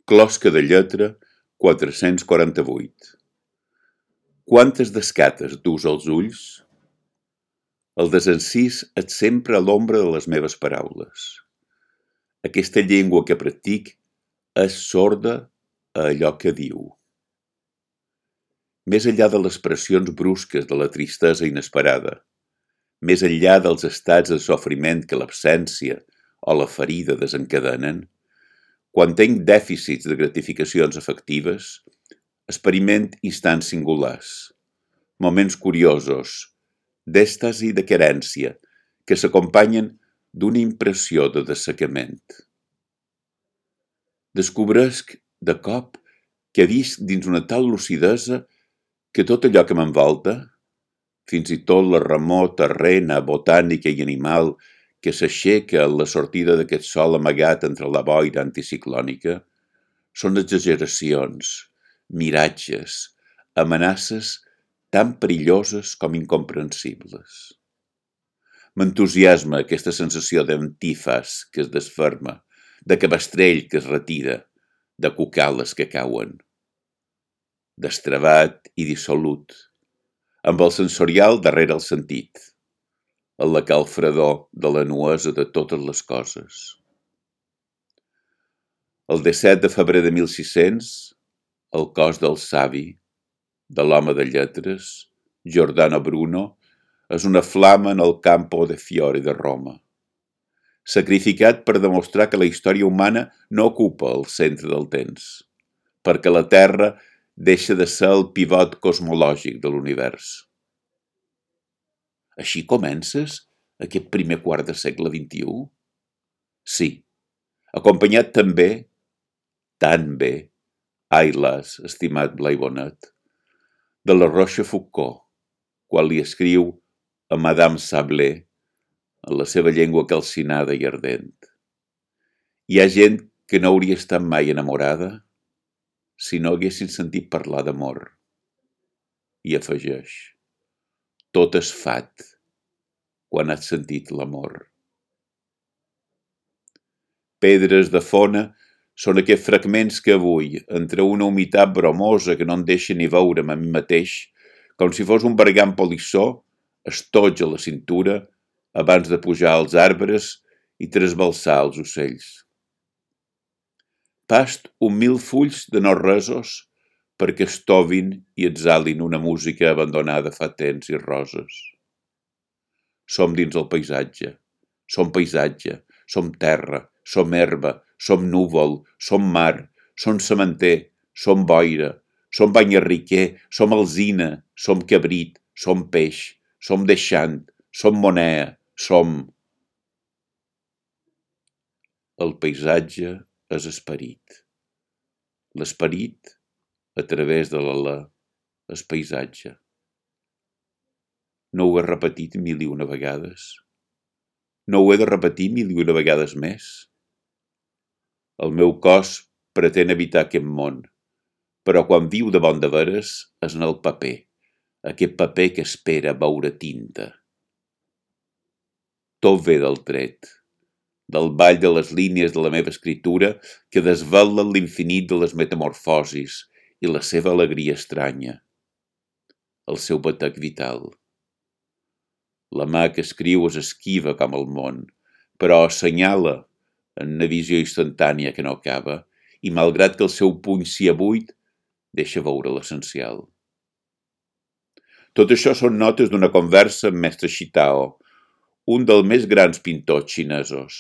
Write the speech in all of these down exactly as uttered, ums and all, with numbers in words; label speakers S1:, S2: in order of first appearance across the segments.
S1: Closca de lletra quatre-cents quaranta-vuit. Quantes descates dus als ulls? El desencís et sempre a l'ombra de les meves paraules. Aquesta llengua que practic és sorda a allò que diu. Més enllà de les pressions brusques de la tristesa inesperada, més enllà dels estats de sofriment que l'absència o la ferida desencadenen, quan tenc dèficits de gratificacions afectives, experiment instants singulars, moments curiosos, d'èxtasi de querència, que s'acompanyen d'una impressió de dessecament. Descobresc, de cop, que visc dins una tal lucidesa que tot allò que m'envolta, fins i tot la remor terrena, botànica i animal que s'aixeca a la sortida d'aquest sol amagat entre la boira anticiclònica, són exageracions, miratges, amenaces tan perilloses com incomprensibles. M'entusiasma aquesta sensació d'antífas que es desferma, de cabestrell que es retira, de cucales que cauen. Destravat i dissolut, amb el sensorial darrere el sentit, en la calfredor de la nuesa de totes les coses. El disset de febrer de mil sis-cents, el cos del savi, de l'home de lletres, Giordano Bruno, és una flama en el Campo de Fiori de Roma, sacrificat per demostrar que la història humana no ocupa el centre del temps, perquè la Terra deixa de ser el pivot cosmològic de l'univers. Així comences aquest primer quart de segle vint-i-u? Sí, acompanyat també, tan bé, ai las, estimat Blai Bonet, de la Rochefoucauld, quan li escriu a Madame Sablé en la seva llengua calcinada i ardent. Hi ha gent que no hauria estat mai enamorada si no haguessin sentit parlar d'amor. I afegeix, tot és fat quan has sentit l'amor. Pedres de fona són aquests fragments que avui, entre una humitat bromosa que no em deixa ni veure'm a mi mateix, com si fos un bergam polissó, estoig a la cintura abans de pujar als arbres i trasbalsar els ocells. Past un mil fulls de no-resos perquè estovin i exhalin una música abandonada fa temps i roses. Som dins el paisatge, som paisatge, som terra, som herba, som núvol, som mar, som sementer, som boira, som banyarriquer, som alzina, som cabrit, som peix, som deixant, som monea, som... El paisatge és esperit. L'esperit, a través de l'alè, és paisatge. No ho he repetit mil i una vegades? No ho he de repetir mil i una vegades més? El meu cos pretén evitar aquest món, però quan viu de bon de veres és en el paper, aquest paper que espera veure tinta. Tot ve del tret, del ball de les línies de la meva escritura que desvelen l'infinit de les metamorfosis i la seva alegria estranya, el seu batec vital. La mà que escriu és esquiva com el món, però assenyala en una visió instantània que no acaba i, malgrat que el seu puny sia buit, deixa veure l'essencial. Tot això són notes d'una conversa amb mestre Shitao, un dels més grans pintors xinesos.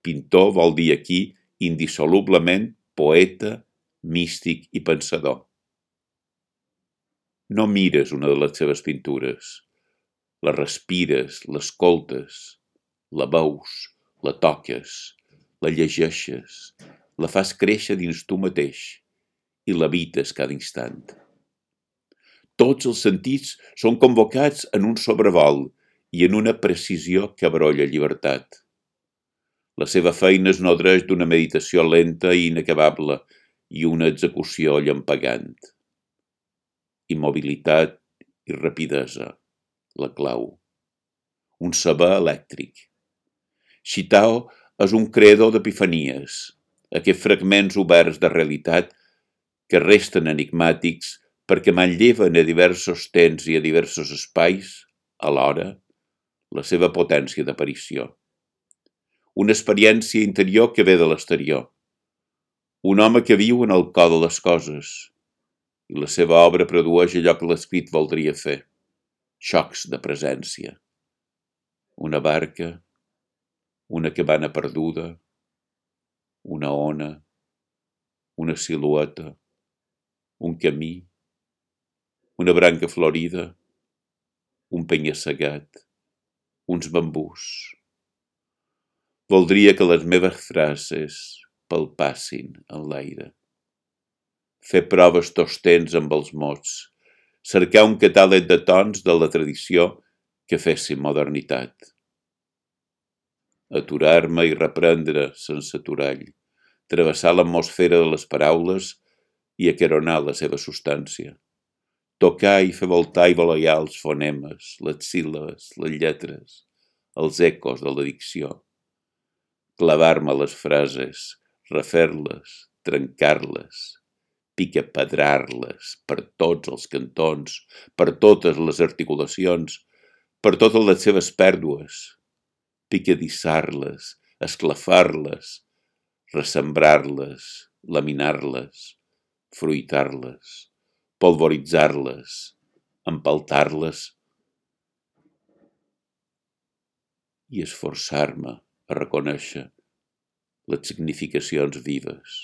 S1: Pintor vol dir aquí indissolublement poeta, místic i pensador. No mires una de les seves pintures, la respires, l'escoltes, la veus, la toques, la llegeixes, la fas créixer dins tu mateix i l'habites cada instant. Tots els sentits són convocats en un sobrevol i en una precisió que abrolla llibertat. La seva feina es nodreix d'una meditació lenta i inacabable i una execució llampegant. Immobilitat i rapidesa, la clau. Un saber elèctric. Shitao és un creador d'epifanies, aquests fragments oberts de realitat que resten enigmàtics perquè manlleven a diversos temps i a diversos espais, alhora, la seva potència d'aparició. Una experiència interior que ve de l'exterior. Un home que viu en el cor de les coses, i la seva obra produeix allò que l'escrit voldria fer, xocs de presència. Una barca, una cabana perduda, una ona, una silueta, un camí, una branca florida, un penya-segat, uns bambús. Voldria que les meves frases palpassin en l'aire. Fer proves tots temps amb els mots, cercar un catàleg de tons de la tradició que fessin modernitat. Aturar-me i reprendre sense aturall, travessar l'atmosfera de les paraules i acaronar la seva substància. Tocar i fer voltar i voleiar els fonemes, les síl·labes, les lletres, els ecos de la dicció. Clavar-me les frases, refer-les, trencar-les, picapedrar-les per tots els cantons, per totes les articulacions, per totes les seves pèrdues, picadissar-les, esclafar-les, ressembrar-les, laminar-les, fruitar-les, polvoritzar-les, empaltar-les i esforçar-me a reconèixer les significacions vives.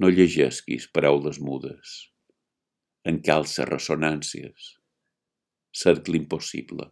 S1: No llegesquis paraules mudes, encalça ressonàncies, cercle impossible.